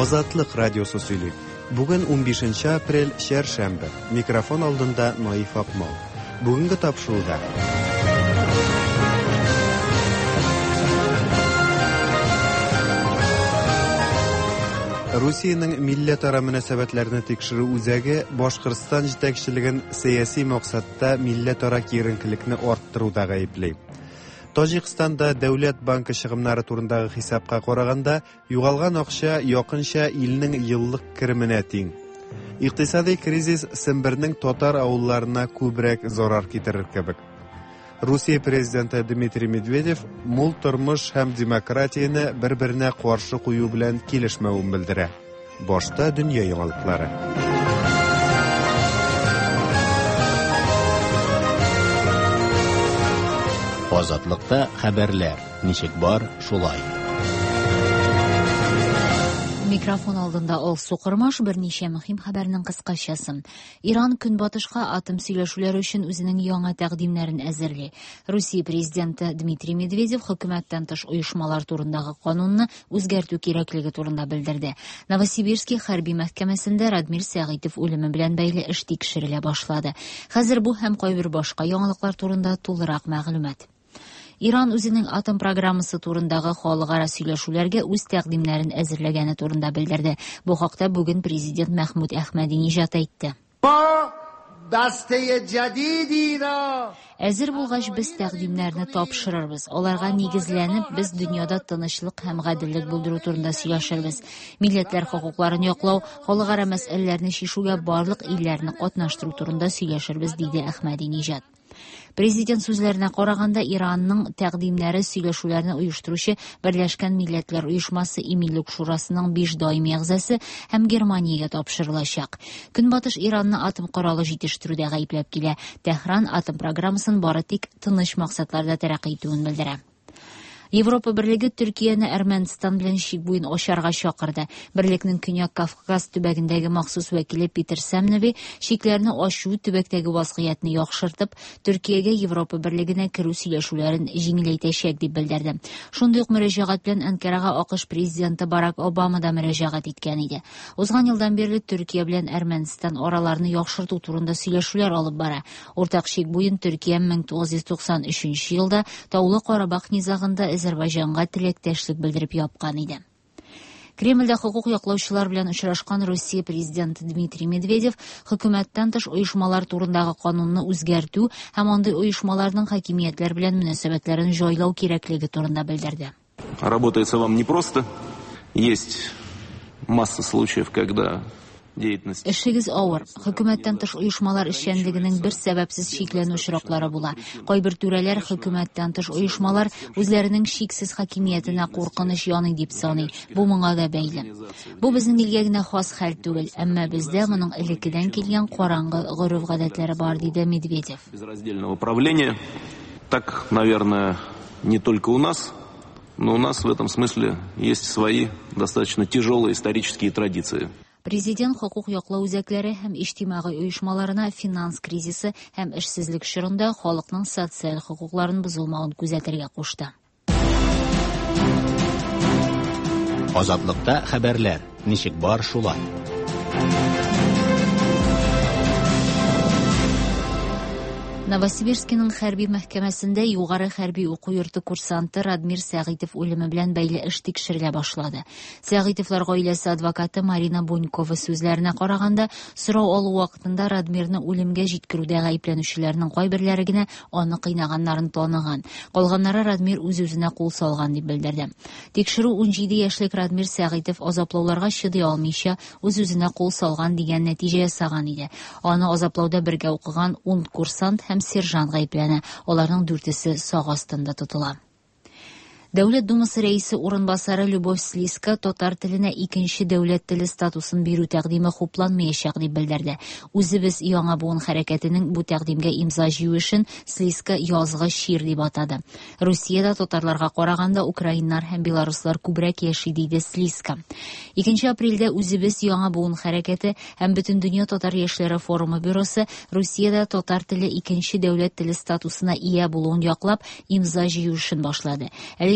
Азатлык радиосы сөйли. Бүген 15 апрель, чәршәмбе. Микрофон алдында Наиф Акмал. Бүгенге тапшыруда. Русиянең милләтара мөнәсәбәтләрне тикшерү үзәге Башкортстан җитәкчелеген сәяси максатта милләтара киеренкелекне арттыруда гаепли. Таҗикстанда дәүләт банкы чыгымнары турындагы хисапка караганда, югалган акча якынча илнең еллык кеременә тиң. Икътисади кризис Сембернең татар авылларына күбрәк зарар китерер кебек. Русия президенты Дмитрий Медведев мул тормыш һәм демократияне бер-беренә каршы кую белән килешмәвен белдерә. Башта дөнья яңалыклары. Азатлыкта хәбәрләр ничек бар, шулай. Микрофон алдында Алсу Кормаш берничә мөһим хәбәрнең кыскачасы. Иран Көнбатышка атом сөйләшүләре өчен үзенең яңа тәкъдимнәрен әзерли. Русия президенты Дмитрий Медведев хөкүмәттән тыш оешмалар турындагы канунны үзгәртү кирәклеге турында белдерде. Новосибирский хәрби мәхкәмәсендә Радмир Сәгыйтов үлеме белән бәйле эш тикшерелә башлады. Хәзер бу һәм кайбер башка яңалыклар турында тулырак мәгълүмат. Иран үзенең атом программасы турындагы халыкара сөйләшүләргә үз тәкъдимнәрен әзерләгәне турында белдерде. Бу хакта бүген президент Мәхмүд Әхмәдиниҗат әйтте. Әзер булгач, без тәкъдимнәрне тапшырырбыз. Аларга нигезләнеп, без дөньяда тынычлык һәм гаделлек булдыру турында сөйләшербез. Милләтләр хокукларын яклау, халыкара мәсьәләләрне чишүгә барлык илләрне катнаштыру турында сөйләшербез, диде Әхмәдиниҗат. Президент сүзләренә караганда, Иранның тәкъдимнәре сөйләшүләрне оештыручы Берләшкән Милләтләр Оешмасы Иминлек Шурасының 5 даими әгъзасы һәм Германиягә тапшырылачак. Көнбатыш Иранны атом коралы җитештерүдә гаепләп килә. Тәһран атом программасын бары тик тыныч максатларда тәрәккый итүен белдерә. Европа Берлеге Төркияне Әрмәнстан белән чик буен ачарга чакырды. Берлекнең Көньяк Кавказ төбәгендәге махсус вәкиле Питер Сәмневи чикләрне ачу төбәктәге вазгыятьне яхшыртып, Төркиягә Европа Берлегенә керү сөйләшүләрен җиңеләйтәчәк дип белдерде. Шундый ук мөрәҗәгать белән Анкарага АКШ президенты Барак Обама да мөрәҗәгать иткән иде. Узган елдан бирле Төркия белән Әрмәнстан араларны яхшырту турында сөйләшүләр алып бара. Уртак чик буен Төркия 1993 елда Таулы Карабах низагында Азәрбайҗанга теләктәшлек белдереп япкан иде. Кремльдә хокук яклаучылар белән очрашкан Русия президенты Дмитрий Медведев хөкүмәттән тыш оешмалар турындагы канунны үзгәртү һәм андый оешмаларның хакимиятләр белән мөнәсәбәтләрен җайлау кирәклеге турында белдерде. Работается вам непросто. Есть масса случаев, когда деятельность... Эшегез авыр. Хөкүмәттән тыш оешмалар эшчәнлегенең бер сәбәпсез чикләнү очраклары була. Кайбер түрәләр хөкүмәттән тыш оешмалар үзләренең чиксез хакимиятенә куркыныч яный дип саный. Бу моңа да бәйле. Бу безнең илгә генә хас хәл түгел, әмма бездә моның элеккедән килгән караңгы гореф-гадәтләре бар, диде Медведев. Безраздельного правления. Так, наверное, не только у нас, но у нас в этом смысле есть свои достаточно тяжелые исторические традиции. Президент хокук яклау үзәкләре һәм иҗтимагый оешмаларына финанс кризисы һәм эшсезлек чорында халыкның социаль хокукларын бозылмавын күзәтергә кушты. Азатлыкта хәбәрләр ничек бар, шулай. Новосибирскиның хәрби мәхкәмәсендә югары хәрби уку йорты курсанты Радмир Сәгыйтов үлеме белән бәйле эш тикшерелә башлады. Сәгыйтовлар гаиләсе адвокаты Марина Бунькова сүзләренә караганда, сорау алу вакытында Радмирны үлемгә җиткерүдә гаепләнүчеләрнең кайберләре генә аны кыйнаганнарын таныган. Калганнары Радмир үз-үзенә кул салган дип белдерде. Тикшерү 17 яшьлек Радмир Сәгыйтов азаплауларга чыдый алмыйча үз-үзенә кул салган дигән нәтиҗә ясаган иде. Аны азаплауда бергә укыган 10 курсант һәм сержант гаепләнә. Аларның дүртесе сак астында тотыла. Дәүләт Думасы рәисе урынбасары Любовь Слиска татар теленә икенче дәүләт теле статусын бирү тәкъдиме хупланмаячак дип белдерде. Үзебез яңа буын хәрәкәтенең бу тәкъдимгә имза җыю эшен Слиска язгы чир дип атады. Русиядә татарларга караганда украиннар һәм белоруслар күбрәк яши, диде Слиска. 2 апрельдә Үзебез яңа буын хәрәкәте һәм Бөтендөнья татар яшьләре форумы бюросы Русиядә татар теле икенче дәүләт теле статусына ия булуын яклап имза җыю эшен башлады.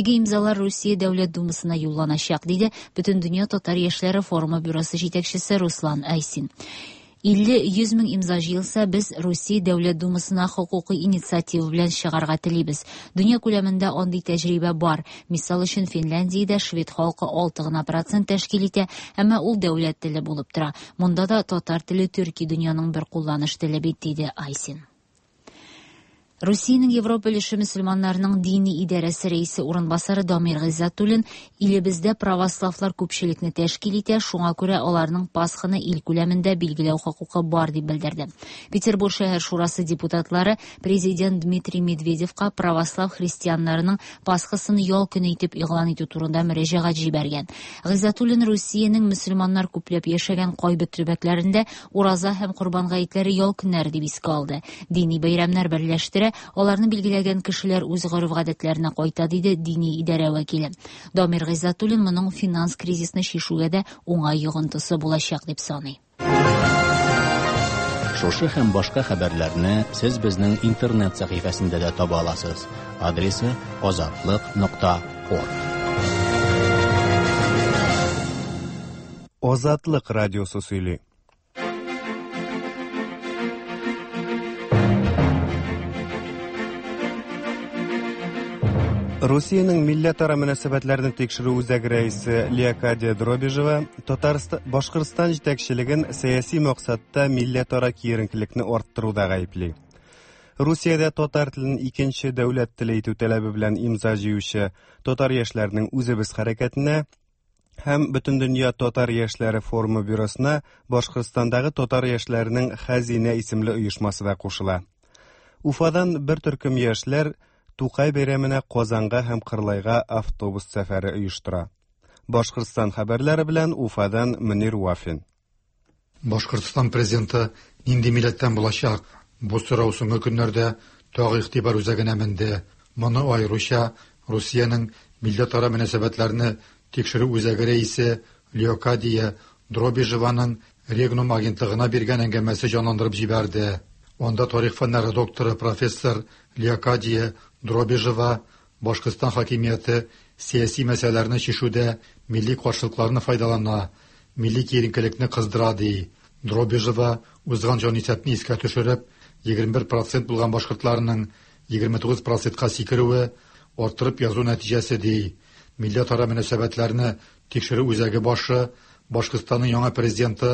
Әлеге имзалар Русия Дәүләт Думасына юлланачак, диде Бөтендөнья татар яшьләре форумы бюросы җитәкчесе Руслан Айсин. 50-100 мең имза җыелса, без Русия Дәүләт Думасына хокукый инициатива белән чыгарга телибез. Дөнья күләмендә андый тәҗрибә бар. Мисал өчен, Финляндиядә швед халкы 6 гына процент тәшкил итә, әмма ул дәүләт теле булып тора. Монда да татар теле төрки дөньяның бер кулланыш теле бит, диде Айсин. Русиянең Европа өлеше мөселманнарының дини идарәсе рәисе урынбасары Дамир Гыйззәтуллин илебездә православлар күпчелекне тәшкил итә, шуңа күрә аларның Пасханы ил күләмендә билгеләү хокукы бар дип белдерде. Петербург шәһәр шурасы депутатлары президент Дмитрий Медведевка православ христианнарының Пасхасын ял көне итеп игълан итү турында мөрәҗәгать җибәргән. Гыйззәтуллин Русиянең мөселманнар күпләп яшәгән кайбер төбәкләрендә ураза һәм Корбан гаетләре ял көннәре дип искә алды. Дини бәйрәмнәр берләштерә, аларны билгеләгән кешеләр үз гореф-гадәтләренә кайта, диде дини идарә вәкиле. Дамир Гыйззәтуллин моның финанс кризисны чишүгә дә уңай йогынтысы булачак дип саный. Шушы һәм башка хәбәрләрне сез безнең интернет сәхифәсендә дә таба аласыз. Адресы azatliq.org. Азатлык радиосы сөйли. Русиянең милләтара мөнәсәбәтләрне тикшерү үзәге рәисе Леокадия Дробижева Татарстан Башкортстан җитәкчелеген сәяси максатта милләтара киеренкелекне арттыруда гаепли. Русиядә татар телен икенче дәүләт теле итү таләбе белән имза җыючы татар яшьләренең үзебез хәрәкәтенә һәм Бөтендөнья татар яшьләре форумы бюросына Башкортстандагы татар яшьләренең Хәзинә исемле оешмасы да кушыла. Уфадан бер төркем яшьләр Тукай бәйрәменә Казанга һәм Кырлайга автобус сәфәре оештыра. Башкортстан хәбәрләре белән Уфадан Мөнир Вафин. Башкортстан президенты нинди милләттән булачак? Бу сорау соңгы көннәрдә тагы игътибар үзәгенә менде. Моны аеруча Русиянең милләтара мөнәсәбәтләрне тикшерү үзәге рәисе Леокадия Дробижеваның Регнум агентлыгына биргән әңгәмәсе җанландырып җибәрде. Анда тарих фәннәре докторы профессор Леокадия Дробижева Башкортстан хакимияте сәяси мәсьәләләрне чишүдә милли каршылыкларны файдалана, милли киеренкелекне кыздыра ди. Дробижева узган җанисәпне искә төшереп, 21% булган башкортларның 29%-ка сикерүе арттырып язу нәтиҗәсе ди. Милләтара мөнәсәбәтләрне тикшерү үзәге башы Башкортстанның яңа президенты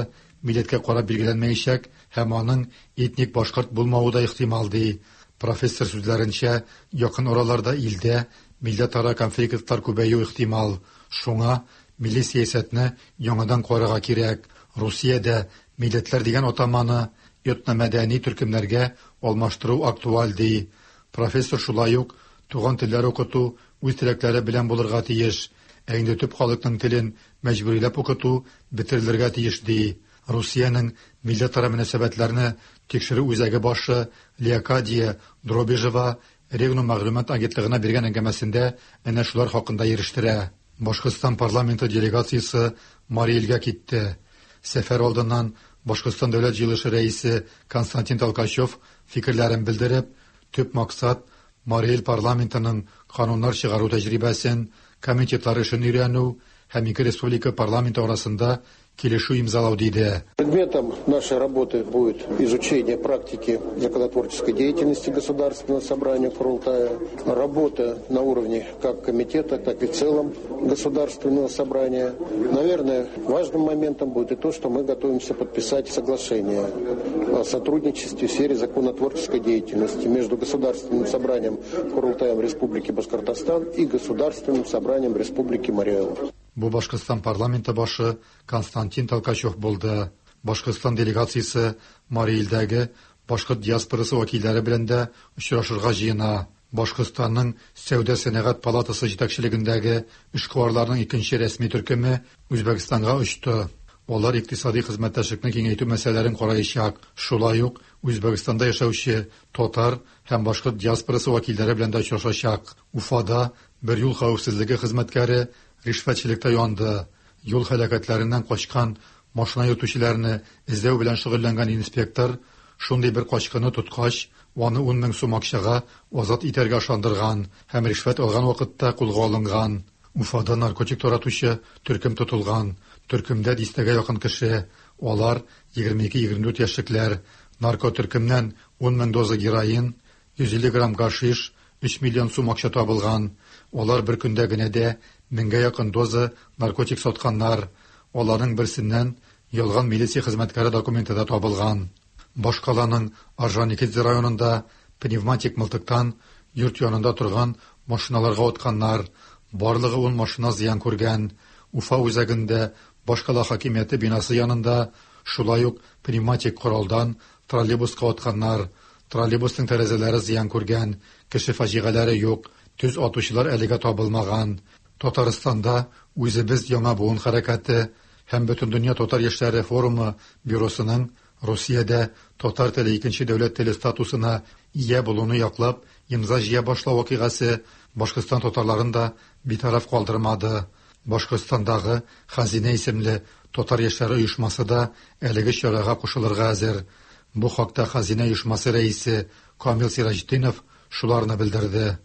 милләткә карап билгеләнмәячәк һәм аның этник башкорт булмавы да ихтимал ди. Профессор сүзләренчә, якын араларда илдә милләтара конфликтлар күбәю ихтимал. Шуңа милли сәясәтне яңадан карарга кирәк. Русиядә милләтләр дигән атаманы этномәдәни төркемнәргә алмаштыру актуаль ди. Профессор шулай ук туган телләр укыту үз теләкләре белән булырга тиеш. Ә инде төп халыкның телен мәҗбүриләп укыту бетерелергә тиеш ди. Русиянең милләтара мөнәсәбәтләрне тикшерү үзәге башы Леокадия Дробижева Регнум мәгълүмат агентлыгына биргән әңгәмәсендә әнә шулар хакында ирештерә. Башкортстан парламенты делегациясе Мари Элгә китте. Сәфәр алдыннан Башкортстан дәүләт җыелышы рәисе Константин Толкачев фикерләрен белдереп, төп максат Мари Эл парламентының кануннар чыгару тәҗрибәсен, комитетлар эшен өйрәнү һәм ике республика парламенты арасында килешү имзалау диде. Предметом нашей работы будет изучение практики законотворческой деятельности Государственного собрания Курултая, работа на уровне как комитета, так и в целом Государственного собрания. Наверное, важным моментом будет и то, что мы готовимся подписать соглашение о сотрудничестве в сфере законотворческой деятельности между Государственным собранием Курултаем Республики Башкортостан и Государственным собранием Республики Марий Эл. Бу Башкортстан парламенты башы Константин Толкачев булды. Башкортстан делегациясе Марий Элдәге башкорт диаспорасы вәкилләре белән дә очрашырга җыена. Башкортстанның Сәүдә сәнәгать палатасы җитәкчелегендәге эшкуарларның икенче рәсми төркеме Үзбәкстанга очты. Алар икътисади хезмәттәшлекне киңәйтү мәсьәләләрен караячак. Шулай ук Үзбәкстанда яшәүче татар һәм башкорт диаспорасы вәкилләре белән дә очрашачак. Уфада бер юл хәвефсезлеге хезмәткәре ришвәтчелектә янды. Юл һәлакәтләреннән качкан машина йөртүчеләрне эзләү белән шөгыльләнгән инспектор шундый бер качкынны тоткач, аны 10 мең сум акчага азат итәргә ышандырган һәм ришвәт алган вакытта кулга алынган. Уфада наркотик таратучы төркем тотылган. Төркемдә дистәгә якын кеше. Алар 22-24 яшьлекләр. Наркотөркемнән 10 мең доза героин, 150 грамм гашиш, 3 миллион сум акча табылган. Алар бер көндә генә дә меңгә якын доза наркотик сатканнар. Аларның берсеннән ялган милиция хезмәткәре документы да табылган. Башкаланың Орджоникидзе районында пневматик мылтыктан йорт янында торган машиналарга атканнар. Барлыгы 10 машина зыян күргән. Уфа үзәгендә башкала хакимияте бинасы янында шулай ук пневматик коралдан троллейбуска атканнар. Троллейбусның тәрәзәләре зыян күргән, кеше фаҗигаләре юк, төз атучылар әлегә табылмаган. Татарстанда үзебез яңа буын хәрәкәте һәм Бөтендөнья татар яшьләре форумы бюросының Русиядә татар теле икенче дәүләт теле статусына ия булуны яклап имза җыя башлау вакыйгасы Башкортстан татарларын да битараф калдырмады. Башкортстандагы Хазинә исемле татар яшьләре оешмасы да әлеге чарага кушылырга әзер. Бу хакта Хазинә оешмасы рәисе Камил Сираҗетдинов шуларны белдерде.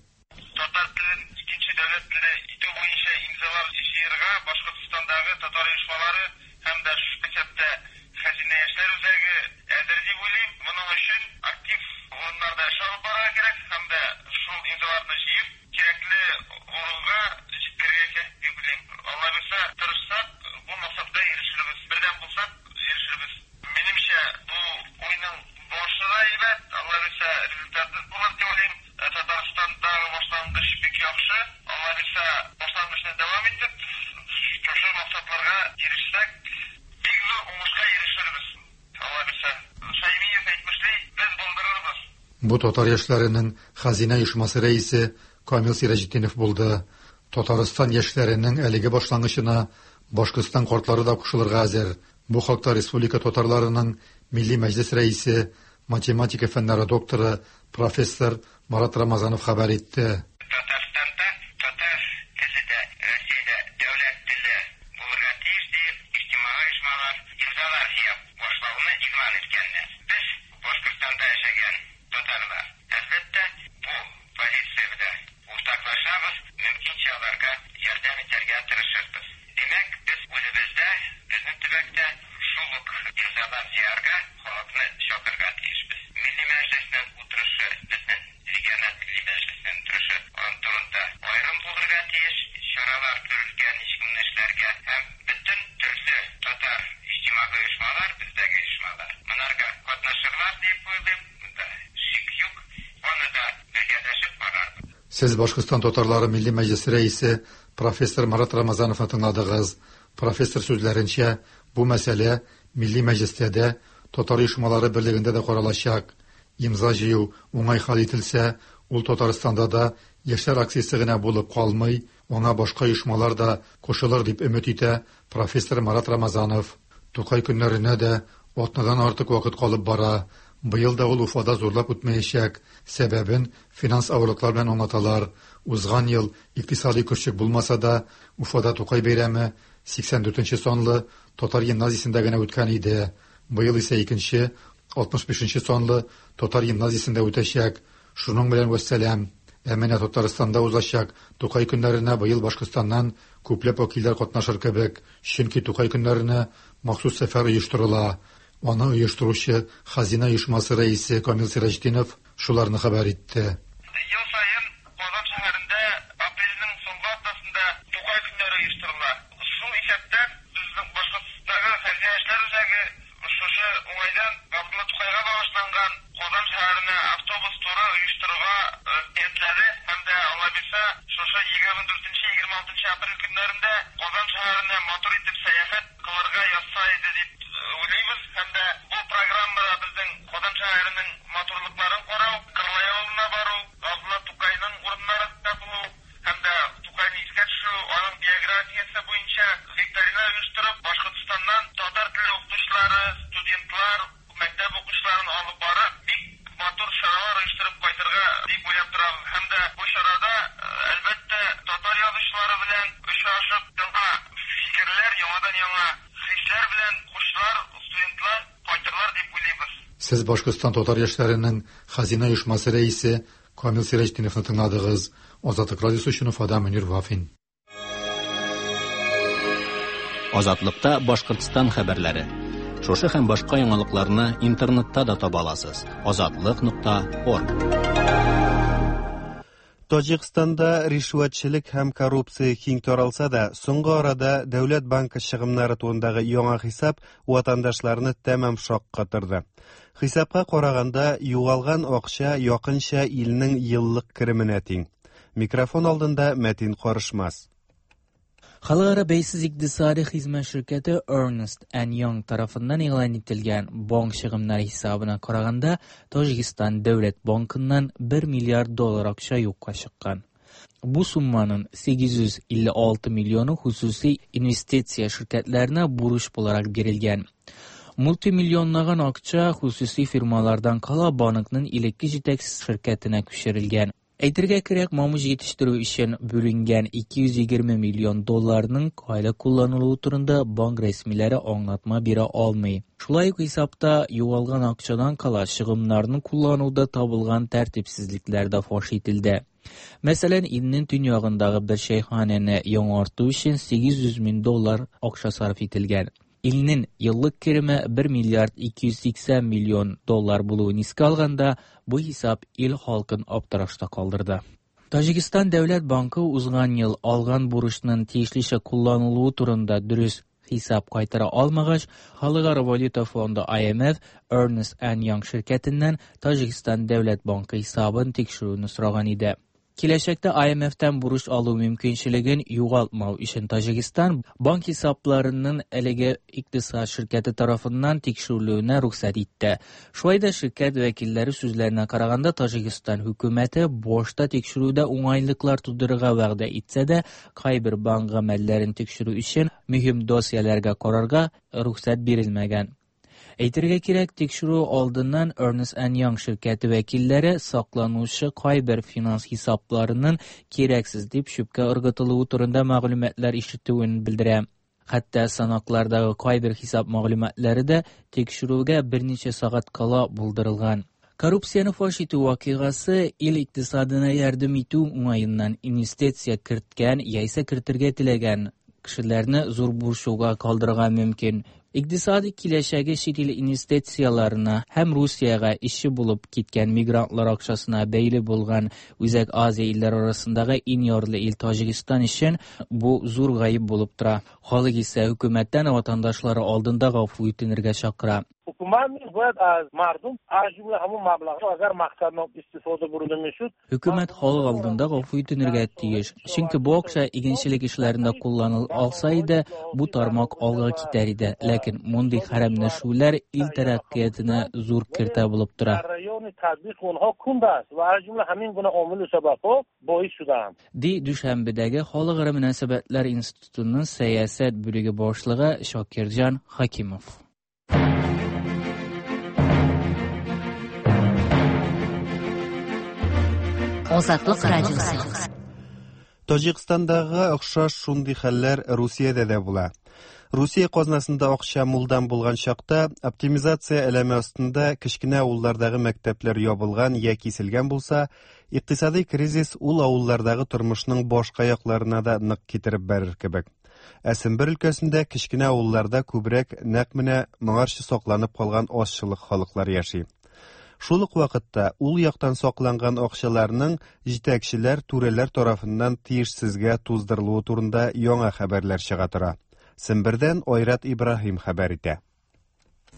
Татар телен икенче дәүләт теле итү буенча имзалар җыярга Башкортстандагы татар оешмалары һәм дә шул исәптә Хәзинә яшьләр үзәге әзер дип уйлыйм. Моның өчен актив урыннарда эш алып барырга кирәк һәм дә шул имзаларны җыеп, кирәкле урынга җиткерергә кирәк дип уйлыйм. Алла бирсә, тырышсак, бу максатка ирешербез. Бердәм булсак, ирешербез. Минемчә, бу уйның башы да әйбәт, Алла бирсә, результаты булыр дип уйлыйм. Татарстандагы башлангыч бик яхшы. Алла бирсә, башлангычны дәвам итеп, шушы максатларга ирешсәк, бик зур уңышка ирешербез. Алла бирсә. Шаймиев әйтмешли, без булдырырбыз. Бу татар яшьләренең Хазинә оешмасы рәисе Камил Сираҗетдинов булды. Татарстан яшьләренең әлеге башлангычына Башкортстан картлары да кушылырга әзер. Бу хакта республика татарларының Милли мәҗлес рәисе, математика фәннәре докторы, профессор Марат Рамазанов хәбәр итте. Татарстанда татар теле дә Россиядә дәүләт теле булырга тиеш дип, иҗтимагый оешмалар имзалар җыя башлауны игълан иткәннәр. Без Башкортстанда яшәгән татарлар, әлбәттә, бу позиция белән уртаклашабыз, мөмкинчә аларга ярдәм итәргә тырышырбыз. Димәк, без үзебездә, безнең төбәктә шул ук имзалар җыярга, халыкны чакырырга тиешбез. Милли мәҗлеснең утырышы, безнең региональ милли мәҗлеснең утырышы аның турында аерым булырга тиеш, чаралар күрелгән ничек моны эшләргә һәм бөтен төрле татар иҗтимагый оешмалар, бездәге оешмалар монарга катнашырлар дип уйлыйм, монда шик юк, аны да бергәләшеп карарбыз. Сез Башкортстан татарлары Милли мәҗлесе рәисе профессор Марат Рамазановны тыңладыгыз. Профессор сүзләренчә, бу мәсьәлә Милли мәҗлестә дә, татар оешмалары берлегендә дә каралачак. Имза җыю уңай хәл ителсә, ул Татарстанда да яшьләр акциясе генә булып калмый, аңа башка оешмалар да кушылыр дип өмет итә профессор Марат Рамазанов. Тукай көннәренә дә атнадан артык вакыт калып бара. Быел да ул Уфада зурлап үтмәячәк. Сәбәбен финанс авырлыклар белән аңлаталар. Узган ел икътисади көрчек булмаса да, Уфада Тукай бәйрәме 84 санлы татар гимназиясендә генә үткән иде. Быел исә икенче 65 санлы татар гимназиясендә үтәчәк. Шуның белән вәссәлам. Ә менә Татарстанда узачак Тукай көннәренә быел Башкортстаннан күпләп вәкилләр катнашыр кебек, чөнки Тукай көннәренә махсус сәфәр оештырыла. Аны оештыручы Хазина оешмасы рәисе Камил Сираҗетдинов шуларны хәбәр итте. Ел саен Казан шәһәрендә апрельнең соңгы атнасында Тукай көннәре оештырыла. Шул исәптән безнең Башкортстандагы Хәзинә яшьләр үзәге шушы уңайдан Габдулла Тукайга багышланган Казан шәһәренә автобус туры оештырырга ниятләде һәм дә Алла бирсә, шушы 24-26 апрель көннәрендә Казан шәһәренә матур итеп сәяхәт кылырга язса иде дип уйлыйбыз. Һәм дә бу программада безнең Казан шәһәренең матурлыкларын карау, Кырлай авылына бару, Габдулла Тукайның урыннарында булу һәм дә Тукайны искә төшерү, аның биографиясе буенча викторина оештырып, Башкортстаннан татар теле укытучылары, студентлар, мәктәп укучыларын алып барып, бик матур чаралар оештырып кайтырга дип уйлап торабыз. Һәм дә бу чарада, әлбәттә, татар язучылары белән очрашып, яңа фикерләр, яңадан яңа хисләр белән укучылар, студентлар кайтырлар дип уйлыйбыз. Сез Башкортстан татар яшьләренең Хәзинә оешмасы рәисе Камил Сираҗетдиновны тыңладыгыз. Азатлык радиосы өчен Уфадан Мөнир Вафин. Азатлыкта Башкортстан хәбәрләре. Шушы һәм башка яңалыкларны интернетта да таба аласыз. Азатлык.орг. Таҗикстанда ришвәтчелек һәм коррупция киң таралса да, соңгы арада Дәүләт банкы чыгымнары турындагы яңа хисап ватандашларны тәмам шаккатырды. Хисапка караганда, югалган акча якынча илнең еллык кеременә тиң. Микрофон алдында Мәтин Карышмас. Халыкара бәйсез икътисади хезмәт ширкәте Ernst Young тарафыннан игълан ителгән банк чыгымнары хисабына караганда, Таҗикстан дәүләт банкыннан 1 миллиард доллар акча юкка чыккан. Бу сумманың 856 миллионы хосусый инвестиция ширкәтләренә бурыч буларак бирелгән. Мультимиллионлаган акча хосусый фирмалардан кала банкның элекке җитәкче ширкәтенә күчерелгән. Әйтергә кирәк, мамык җитештерү өчен бүленгән 220 миллион долларның кайда кулланылуы турында банк рәсмиләре аңлатма бирә алмый. Шулай ук хисапта югалган акчадан кала чыгымнарны куллануда табылган тәртипсезлекләр дә фаш ителде. Мәсәлән, илнең төньягындагы бер чәйханәне яңарту өчен 800 мең доллар акча сарыф ителгән. Илнең еллык кереме 1 миллиард 280 миллион доллар булуын искә алганда, бу хисап ил халкын аптырашта калдырды. Таҗикстан дәүләт банкы узган ел алган бурычның тиешлечә кулланылуы турында дөрес хисап кайтара алмагач, Халыкара валюта фонды IMF Ernst Young ширкәтеннән Таҗикстан дәүләт банкы хисабын тикшерүне сораган иде. Киләчәктә IMF-тән бурыч алу мөмкинчелеген югалтмау өчен Таҗикстан банк хисапларының әлеге икътисад ширкәте тарафыннан тикшерелүенә рөхсәт итте. Шулай да ширкәт вәкилләре сүзләренә караганда, Таҗикстан хөкүмәте башта тикшерүдә уңайлыклар тудырырга вәгъдә итсә дә, кайбер банк гамәлләрен тикшерү өчен мөһим досьеләргә карарга рөхсәт бирелмәгән. Әйтергә кирәк, тикшерү алдыннан Ernst Young ширкәте вәкилләре сакланучы кайбер финанс хисапларының кирәксез дип чүпкә ыргытылуы турында мәгълүматлар ишетүен белдерә. Хәтта санаклардагы кайбер хисап мәгълүматлары да тикшерүгә берничә сәгать кала булдырылган. Коррупцияне фаш итү вакыйгасы ил икътисадына ярдәм итү уңаеннан инвестиция керткән яисә кертергә теләгән кешеләрне зур борчуга калдырырга мөмкин. Икътисади киләчәге чит ил инвестицияләренә һәм Русиягә ишче булып киткән мигрантлар акчасына бәйле булган Үзәк Азия илләре арасындагы иң ярлы ил Таҗикстан өчен бу зур гаеп булып тора. Халык исә хөкүмәттән ватандашлары алдында гафу үтенергә чакыра. Ҳукумат низ бояд аз мардум, аз ҷумла ҳамон маблағҳо, агар мақсаднок истифода бурда мешуд. Хөкүмәт халык алдында гафу үтенергә тиеш. Чөнки бу акча игенчелек эшләрендә кулланыла алса иде, бу тармак алга китәр иде. Ләкин мондый хәрәмләшүләр ил тәрәккыятенә зур киртә булып тора. Дар раёни татбиқи онҳо кунд аст ва аз ҷумла ҳамин гуна омилу сабабҳо боис шудаанд. Ди Дүшәнбедәге Халыкара мөнәсәбәтләр институтының сәясәт бүлеге башлыгы Шакирҗан Хакимов. Азатлык радиосы. Таҗикстандагы охшаш шундый хәлләр Русиядә дә була. Русия казнасында акча мулдан булган чакта оптимизация әләме астында кечкенә авыллардагы мәктәпләр ябылган я киселгән булса, икътисади кризис ул авыллардагы тормышның башка якларына да нык китереп бәрер кебек. Ә Сембер өлкәсендә кечкенә авылларда күбрәк нәкъ менә моңарчы сакланып калган азчылык халыклар яши. Шул ук вакытта ул яктан сакланган акчаларның җитәкчеләр, түрәләр тарафыннан тиешсезгә туздырылуы турында яңа хәбәрләр чыга тора. Сембердән Айрат Ибраһим хәбәр итә.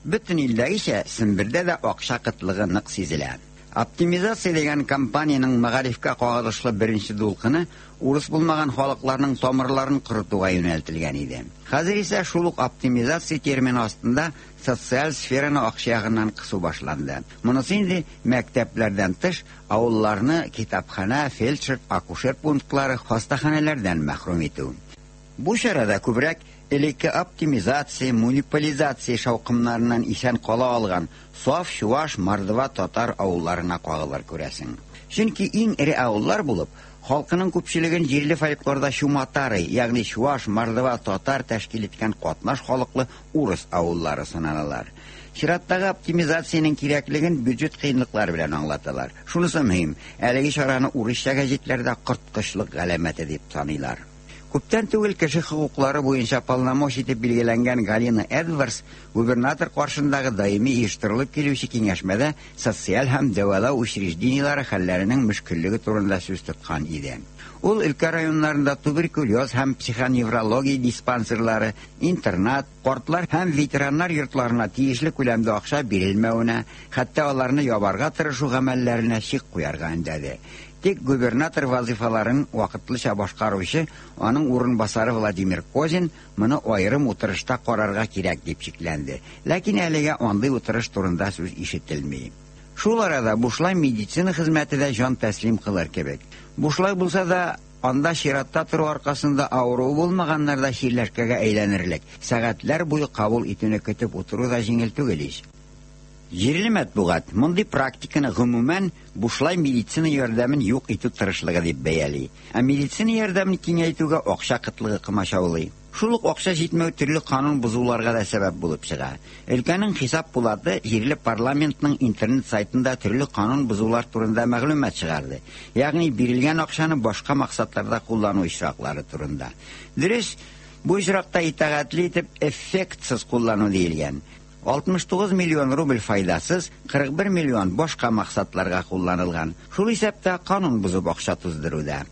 Бөтен илдәгечә Сембердә дә акча кытлыгы нык сизелә. Оптимизация дигән компаниянең мәгарифкә кагылышлы беренче дулкыны урыс булмаган халыкларның тамырларын корытуга юнәлтелгән иде. Хәзер исә шул ук оптимизация термины астында социаль сфераны акча ягыннан кысу башланды. Монысы инде мәктәпләрдән тыш авылларны китапханә, фельдшер, акушер пунктлары, хастаханәләрдән мәхрүм итү. Бу чарада күбрәк элекке оптимизация, муниципализация шаукымнарыннан исән кала алган саф чуваш, мордва, татар авылларына кагылыр күрәсең. Чөнки иң эре авыллар булып, халкының күпчелеген җирле фольклорда чуматары, ягъни чуваш, мордва, татар тәшкил иткән катнаш халыклы урыс авыллары саналалар. Чираттагы оптимизациянең кирәклеген бюджет кыенлыклары белән аңлаталар. Шунысы мөһим, әлеге чараны урысча гәҗитләрдә корткычлык галәмәте дип саныйлар. Күптән түгел кеше хокуклары буенча полномочий итеп билгеләнгән Галина Эдвардс губернатор каршындагы даими оештырылып килүче киңәшмәдә социаль һәм дәвалау учреждениеләре хәлләренең мөшкеллеге турында сүз тоткан иде. Ул өлкә районнарында туберкулез һәм психоневрология диспансерлары, интернат, картлар һәм ветераннар йортларына тиешле күләмдә акча бирелмәвенә, хәтта аларны ябарга тырышу гамәлләренә чик куярга өндәде. Тик губернатор вазифаларын вакытлыча башкаручы аның урынбасары Владимир Козин моны аерым утырышта карарга кирәк дип шикләнде. Ләкин әлегә андый утырыш турында сүз ишетелми. Шул арада бушлай медицина хезмәте дә җан тәслим кылыр кебек. Бушлай булса да, анда чиратта тору аркасында авыруы булмаганнар да чирләшкәгә әйләнерлек. Сәгатьләр буе кабул итүне көтеп утыру да җиңел түгел ич. Җирле матбугат мондый практиканы гомумән бушлай медицина ярдәмен юк итү тырышлыгы дип бәяли. Ә медицина ярдәмен киңәйтүгә акча кытлыгы комачаулый. Шул ук акча җитмәү төрле канун бозуларга да сәбәп булып чыга. Өлкәнең хисап пулаты җирле парламентның интернет сайтында төрле канун бозулар турында мәгълүмат чыгарды. Ягъни бирелгән акчаны башка максатларда куллану очраклары турында. Дөрес, бу очракта итагатьле итеп эффектсыз куллану диелгән. 69 миллион рубль файдасыз, 41 миллион башка максатларга кулланылган. Шул исәптә канун бозып акча туздыруда.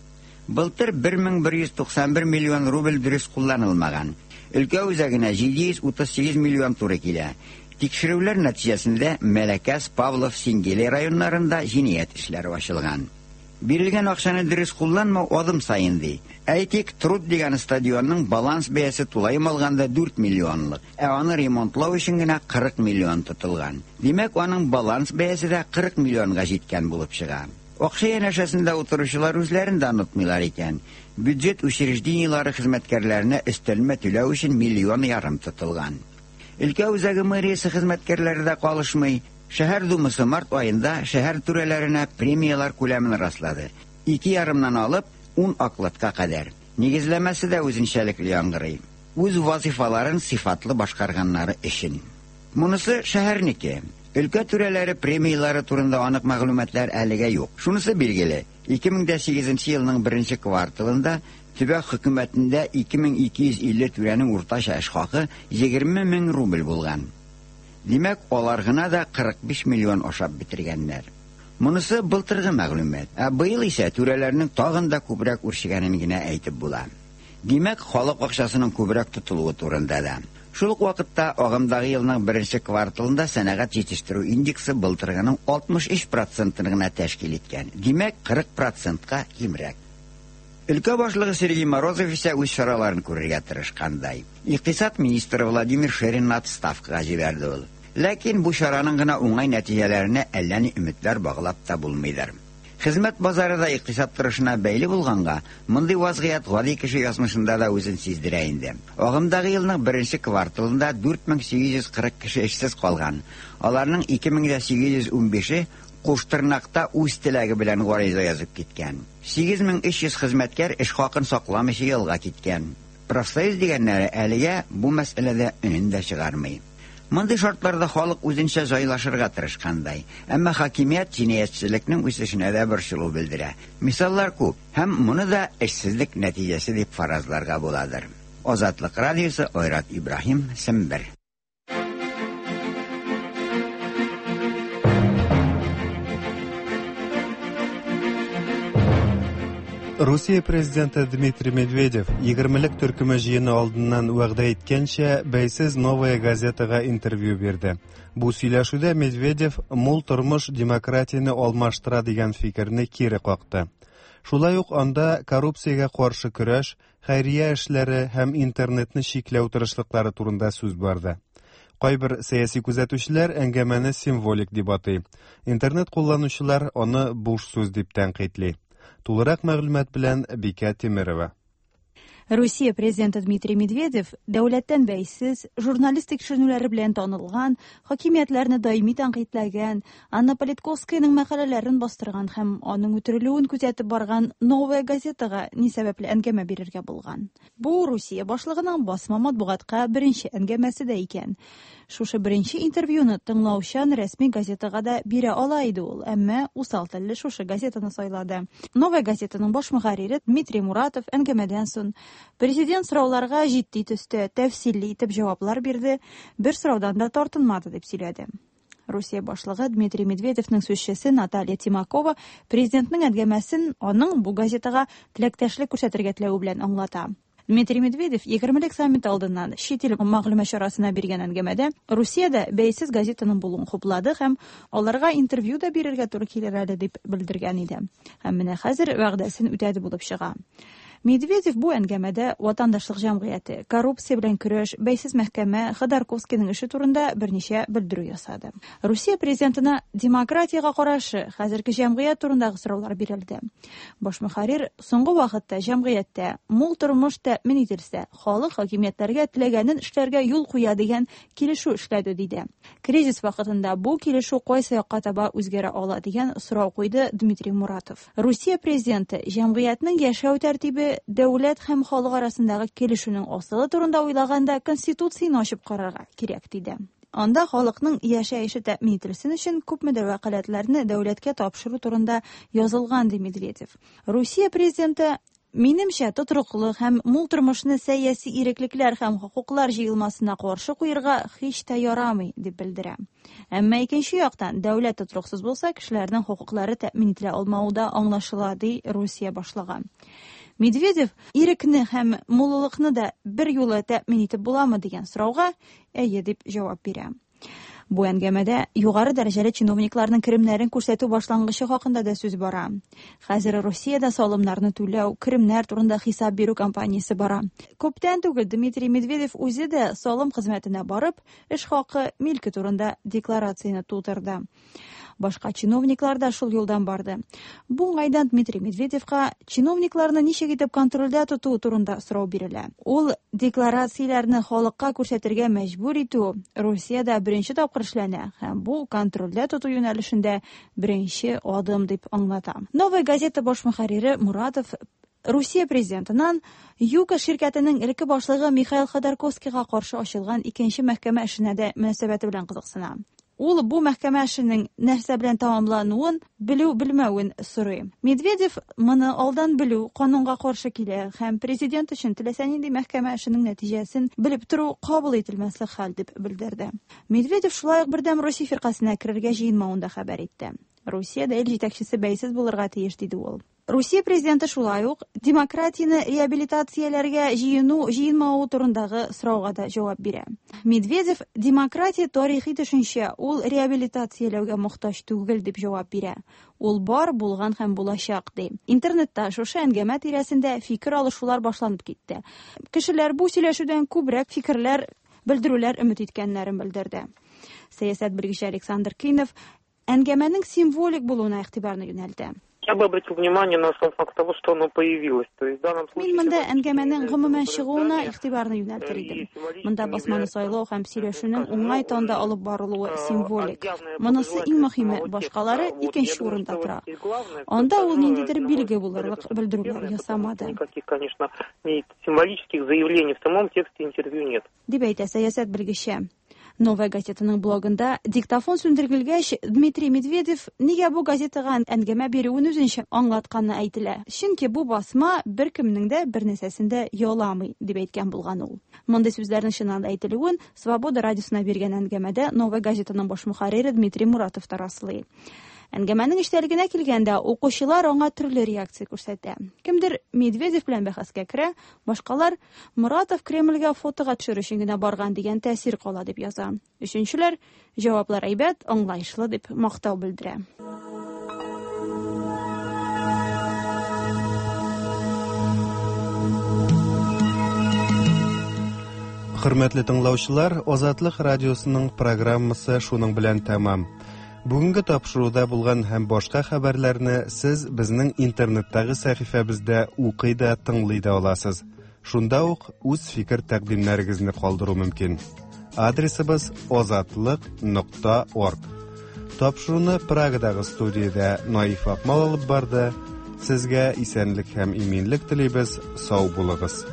Былтыр 1191 миллион рубль дөрес кулланылмаган. Өлкә үзәгенә 738 миллион туры килә. Тикшерүләр нәтиҗәсендә Мәләкәс, Павлов, Сингели районнарында җинаять эшләре ачылган. Бирелгән акчаны дөрес кулланмау адым саен ди. Әйтик, Труд дигән стадионның баланс бәясе тулаем алганда 4 миллионлык, ә аны ремонтлау өчен генә 40 миллион тотылган. Димәк, аның баланс бәясе дә 40 миллионга җиткән булып чыга. Акча янәшәсендә утыручылар үзләрен дә онытмыйлар икән. Бюджет учреждениеләре хезмәткәрләренә өстәлмә түләү өчен миллион ярым тотылган. Өлкә үзәге мэриясе хезмәткәрләре дә калышмый. Шәһәр думасы март аенда шәһәр түрәләренә премияләр күләмен раслады. 2,5-нан алып 10 окладка кадәр. Нигезләмәсе дә үзенчәлекле яңгырый. Үз вазифаларын сыйфатлы башкарганнары өчен. Монысы шәһәрнеке. Өлкә түрәләре премияләре турында анык мәгълүматлар әлегә юк. Шунысы билгеле, 2008 елның беренче кварталында төбәк хөкүмәтендә 2250 түрәнең уртача эш хакы 20 мең рубль булган. Димәк, алар гына да 45 миллион ашап бетергәннәр. Монысы былтыргы мәгълүмат. Ә быел исә түрәләрнең тагын да күбрәк үрчегәнен генә әйтеп була. Димәк, халык акчасының күбрәк тотылуы турында да. Шул ук вакытта агымдагы елның беренче кварталында сәнәгать җитештерү индексы былтыргының 63%-ын гына тәшкил иткән. Димәк, 40%-ка кимрәк. Өлкә башлыгы Сергей Морозов исә үз чараларын күрергә тырышкандай. Икътисад министры Владимир Шеринны отставкага җибәрде ул. Ләкин бу чараның гына уңай нәтиҗәләренә әллә ни өметләр баглап та булмыйдыр. Хезмәт базары да икътисад торышына бәйле булганга, мондый вазгыять гади кеше язмышында да үзен сиздерә инде. Агымдагы елның беренче кварталында 4840 кеше эшсез калган. Аларның 2815-е Куштырнакта үз теләге белән гариза язып киткән. 8300 хезмәткәр эш хакын сакламыйча ялга киткән. Профсоюз дигәннәре әлегә бу мәсьәләдә өнен дә чыгармый. Мондый шартларда халык үзенчә җайлашырга тырышкандай. Әмма хакимият җинаятьчелекнең үсешенә дә борчылу белдерә. Мисаллар күп, һәм моны да эшсезлек нәтиҗәсе дип фаразларга буладыр. Азатлык радиосы, Айрат Ибраһим, Сембер. Русия президенты Дмитрий Медведев егермелек төркеме җыены алдыннан вәгъдә иткәнчә, бәйсез Новая газетага интервью бирде. Бу сөйләшүдә Медведев мул тормыш демократияне алмаштыра дигән фикерне кире какты. Шулай ук анда коррупциягә каршы көрәш, хәйрия эшләре һәм интернетны чикләү тырышлыклары турында сүз барды. Кайбер сәяси күзәтүчеләр әңгәмәне символик дип атый. Интернет кулланучылар аны буш сүз дип тәнкыйтьли. Тулырак мәгълүмат белән Бикә Тимерова. Русия президенты Дмитрий Медведев дәүләттән бәйсез, журналист тикшеренүләре белән танылган, хакимиятләрне даими тәнкыйтьләгән, Анна Политковскаяның мәкаләләрен бастырган һәм аның үтерелүен күзәтеп барган Новая газетага ни сәбәпле әңгәмә бирергә булган. Бу Русия башлыгының басма матбугатка беренче әңгәмәсе дә икән. Шушы беренче интервьюны тыңлаучан рәсми газетага да бирә ала иде ул, әмма усал телле шушы газетаны сайлады. Новая газетаның баш мөхәррире Дмитрий Муратов әңгәмәдән соң президент сорауларга җитди төстә, тәфсилле итеп җаваплар бирде, бер сораудан да тартынмады дип сөйләде. Русия башлыгы Дмитрий Медведевның сүзчесе Наталья Тимакова президентның әңгәмәсен аның бу газетага теләктәшлек күрсәтергә теләве белән аңлата. Дмитрий Медведев егермелек саммит алдыннан чит ил мәгълүмат чарасына биргән әңгәмәдә Русиядә бәйсез газетаның булуын хуплады һәм аларга интервью да бирергә туры килер әле дип белдергән иде. Һәм менә хәзер вәгъдәсен үтәде булып чыга. Медведев бу әңгәмәдә ватандашлык җәмгыяте, коррупция белән көрәш, бәйсез мәхкәмә, Ходорковскийның эше турында берничә белдерү ясады. Русия президентына демократиягә карашы, хәзерге җәмгыять турындагы сораулар бирелде. Баш мөхәррир соңгы вакытта җәмгыятьтә мул тормыш тәэмин ителсә, халык хакимиятләргә теләгәнен эшләргә юл куя дигән килешү эшләде, диде. Кризис вакытында бу килешү кайсы якка таба үзгәрә ала дигән сорау куйды Дмитрий Муратов. Русия президенты җәмгыятьнең яшәү тәртибе, дәүләт һәм халык арасындагы килешүнең асылы турында уйлаганда Конституцияне ачып карарга кирәк, диде. Анда халыкның яшәеше тәэмин ителсен өчен күпмедер вәкаләтләрне дәүләткә тапшыру турында язылган, ди Медведев. Русия президенты Минемчә, тотрыклы һәм мул тормышны сәяси иреклекләр һәм хокуклар җыелмасына каршы куерга һич тә ярамый, дип белдерә. Әмма икенче яктан, дәүләт тотрыксыз булса, кешеләрнең хокуклары тәэмин ителә алмавы да аңлашыла, ди Русия башлыгы. Медведев ирекне һәм муллыкны да бер юлы тәэмин итеп буламы дигән сорауга әйе дип җавап бирә. Бу әңгәмәдә югары дәрәҗәле чиновникларның керемнәрен күрсәтү башлангычы хакында да сүз бара. Хәзер Русиядә салымнарны түләү, керемнәр турында хисап бирү кампаниясе бара. Күптән түгел Дмитрий Медведев үзе дә салым хезмәтенә барып, эш хакы, милке турында декларацияне тутырды. Башка чиновниклар да шул юлдан барды. Бу уңайдан Дмитрий Медведевка чиновникларны ничек итеп контрольдә тоту турында сорау бирелә. Ул декларацияләрне халыкка күрсәтергә мәҗбүр итү Русиядә беренче тапкыр эшләнә һәм бу контрольдә тоту юнәлешендә беренче адым дип аңлата. Новая газета баш мөхәррире Муратов Русия президентыннан ЮКОС ширкәтенең элекке башлыгы Михаил Ходорковскийга каршы ачылган икенче мәхкәмә эшенә дә мөнәсәбәте белән кызыксына. Ул бу мәхкәмә эшенең нәрсә белән тәмамлануын белү-белмәвен сорый. Медведев моны алдан белү канунга каршы килә һәм президент өчен теләсә нинди мәхкәмә эшенең нәтиҗәсен белеп тору кабул ителмәслек хәл дип белдерде. Медведев шулай ук Бердәм Русия фиркасенә керергә җыенмавын да хәбәр итте. Русиядә ил җитәкчесе бәйсез булырга тиеш, диде ул. Русия президенты шулай ук демократияне реабилитацияләргә җыену-җыенмавы турындагы сорауга да җавап бирә. Медведев демократия тарихи төшенчә, ул реабилитацияләүгә мохтаҗ түгел дип җавап бирә. Ул бар, булган һәм булачак, ди. Интернетта шушы әңгәмә тирәсендә фикер алышулар башланып китте. Кешеләр бу сөйләшүдән күбрәк фикерләр, белдерүләр өмет иткәннәрен белдерде. Сәясәт белгече Александр Кинов әңгәмәнең символик булуына игътибарны юнәлтә. Я бы обратил внимание на сам факт того, что оно появилось. То есть в данном случае Мин монда әңгәмәнең гомумән чыгуына игътибарны юнәлтер идем. Монда басманы сайлау һәм сөйләшүнең уңай тонда алып барылуы символик. Монысы иң мөһиме, башкалары икенче урында тора. Анда ул ниндидер билге булырлык белдерүләр ясамады. Никаких, конечно, символических заявлений в самом тексте интервью нет. Дип әйтә сәясәт белгече. Новая газетаның блогында диктофон сүндерелгәч, Дмитрий Медведев нигә бу газетага әңгәмә бирүен үзенчә аңлатканы әйтелә. Чөнки бу басма беркемнең дә бер нәрсәсен дә яламый, дип әйткән булган ул. Мондый сүзләрнең чыннан да әйтелүен Свобода радиосына биргән әңгәмәдә Новая газетаның баш мөхәррире Дмитрий Муратов та раслый. Әңгәмәнең эчтәлегенә килгәндә, укучылар аңа төрле реакция күрсәтә. Кемдер Медведев белән бәхәскә керә, башкалар Муратов Кремльгә фотога төшерү өчен генә барган дигән тәэсир кала дип яза. Өченчеләр җаваплар әйбәт, аңлаешлы дип мактау белдерә. Хөрмәтле тыңлаучылар, Азатлык радиосының программасы шуның белән тәмам. Бүгенге тапшыруда булган һәм башка хәбәрләрне сез безнең интернеттагы сәхифәбездә укый да, тыңлый да аласыз. Шунда ук үз фикер тәкъдимнәрегезне калдыру мөмкин. Адресыбыз azatliq.org. Тапшыруны Прагадагы студиядә Наиф Акмал алып барды. Сезгә исәнлек һәм иминлек телибез. Сау булыгыз.